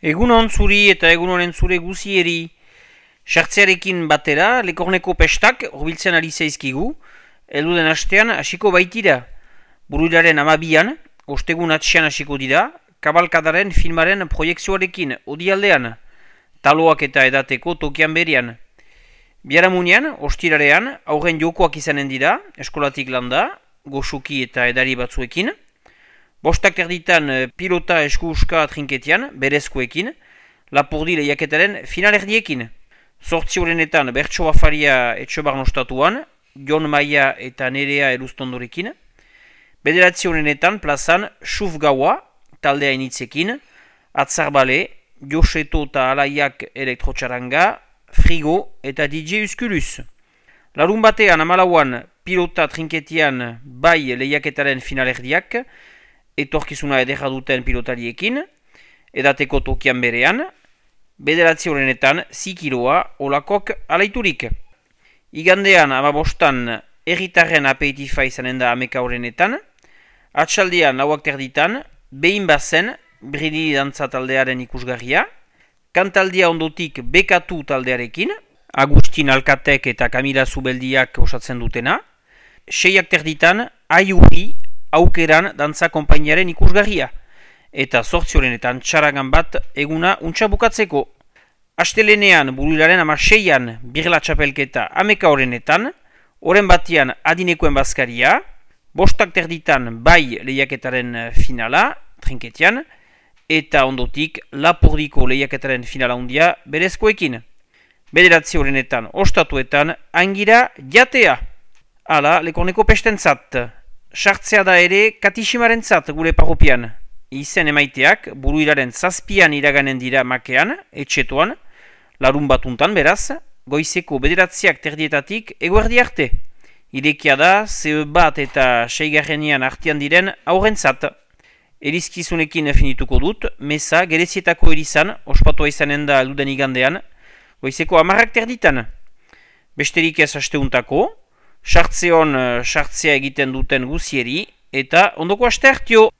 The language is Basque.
Egunon zuri eta egunoren zure guzieri. Sartzearekin batera, Lekorneko pestak horbiltzen ari zaizkigu, elduden astean hasiko baitira. Buruilaren 12an, ostegun atxean hasiko dira, kabalkadaren filmaren proiekzioarekin odialdean, taloak eta edateko tokian berian. Biharamunean, ostirarean, aurren jokoak izanen dira, eskolatik landa, goxuki eta edari batzuekin. Bostak erditan pilota esku-uska trinketian, berezkoekin, Lapurdi lehiaketaren finalerdiekin. 8 horrenetan Bertso Bafaria Etxobar nostatuan, Jon Maia eta Nerea Eluztondorekin. 9 horrenetan plazan Xuf Gaua, taldea initzekin, Atzarbale, Joseto eta Alaiak elektrotxaranga, Frigo eta DJ Uskulus. Larun batean 14an pilota trinketian bai lehiaketaren finalerdiak, etorkizuna ederra duten pilotariekin, edateko tokian berean, 9 horrenetan zikiroa olakok alaiturik. Igandean 15an erritarren apeitifa izanen da 11 horrenetan, atxaldean 4 terditan, behin bazen Bridi dantza taldearen ikusgarria, kantaldia ondotik Bekatu taldearekin, Agustin Alkatek eta Kamila Zubeldiak osatzen dutena, 6 terditan Aiuri Aukeran dantza konpainiaren ikusgarria, eta 8 horrenetan txaragan bat eguna untxa bukatzeko. Astelenean Buruilaren 16an birla txapelketa 11 horrenetan, oren batian adinekoen bazkaria, 5 terditan bai lehiaketaren finala, trinketian, eta ondotik Lapurdiko lehiaketaren finala hundia berezkoekin. 9 horrenetan ostatuetan angira jatea. Hala, Lekorneko pestentzat. Sartzea da ere Katiximaren zat gure parropian. Izen emaiteak Buruilaren 7an iraganen dira makean, etxetoan, larun batuntan beraz, goizeko 9 terdietatik eguerdi arte. Irekia da, CE bat eta 6 artean diren aurrentzat. Erizkizunekin finituko dut, meza gerezietako erizan, ospatua izanen da alduden igandean, goizeko 10 terditan. Besterik ez asteuntako, sartzea egiten duten guzieri, eta ondoko aste hartio!